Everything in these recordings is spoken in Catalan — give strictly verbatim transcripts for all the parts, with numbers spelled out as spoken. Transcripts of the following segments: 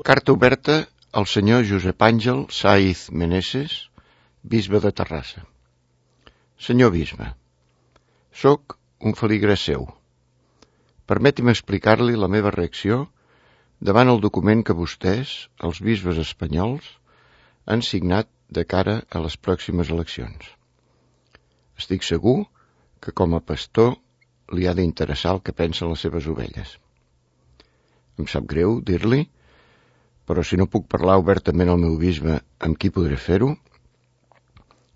Carta oberta al senyor Josep Àngel Saiz Meneses, bisbe de Terrassa. Senyor bisbe, soc un feligrès seu. Permeti'm explicar-li la meva reacció davant el document que vostès, els bisbes espanyols, han signat de cara a les pròximes eleccions. Estic segur que com a pastor li ha d'interessar el que pensen les seves ovelles. Em sap greu dir-li, però si no puc parlar obertament al meu bisbe, amb qui podré fer-ho?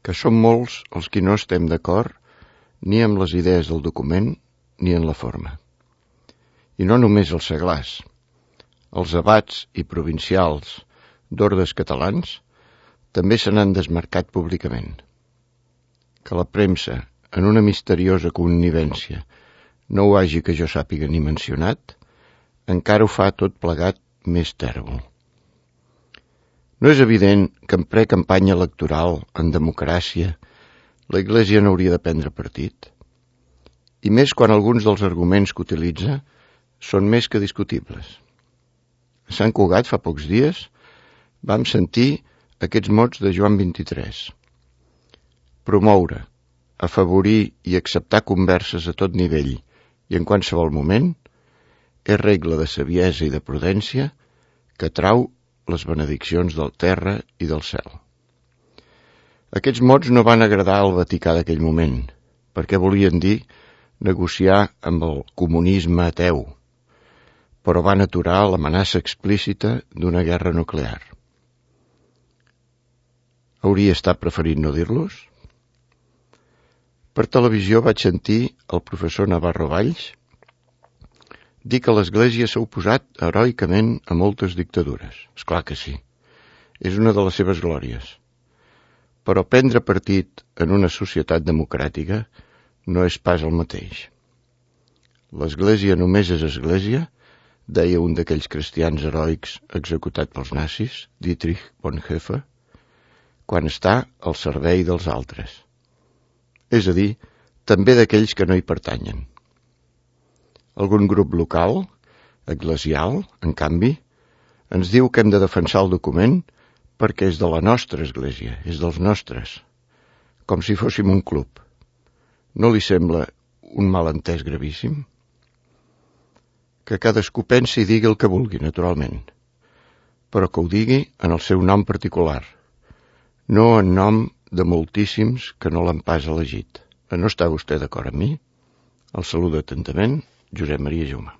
Que som molts els qui no estem d'acord ni amb les idees del document ni en la forma. I no només els seglars, els abats i provincials d'ordes catalans també se n'han desmarcat públicament. Que la premsa, en una misteriosa connivència, no ho hagi que jo sàpiga ni mencionat, encara ho fa tot plegat més tèrbol. No és evident que en pre-campanya electoral, en democràcia, la Iglésia no hauria de prendre partit? I més quan alguns dels arguments que utilitza són més que discutibles. A Sant Cugat, fa pocs dies, vam sentir aquests mots de Joan vint-i-tres. Promoure, afavorir i acceptar converses a tot nivell i en qualsevol moment és regla de saviesa i de prudència que trau les benediccions del terra i del cel. Aquests mots no van agradar al Vaticà d'aquell moment, perquè volien dir negociar amb el comunisme ateu, però van aturar l'amenaça explícita d'una guerra nuclear. Hauria estat preferit no dir-los? Per televisió vaig sentir el professor Navarro Valls dir que l'Església s'ha oposat heroicament a moltes dictadures. És clar que sí. És una de les seves glòries. Però prendre partit en una societat democràtica no és pas el mateix. L'Església només és Església, deia un d'aquells cristians heroics executat pels nazis, Dietrich Bonhoeffer, quan està al servei dels altres. És a dir, també d'aquells que no hi pertanyen. Algun grup local, eclesial, en canvi, ens diu que hem de defensar el document perquè és de la nostra església, és dels nostres, com si fóssim un club. No li sembla un malentès gravíssim? Que cadascú pensi i digui el que vulgui, naturalment, però que ho digui en el seu nom particular, no en nom de moltíssims que no l'han pas elegit. No està vostè d'acord amb mi? El saluda atentament, Josep Maria Juma.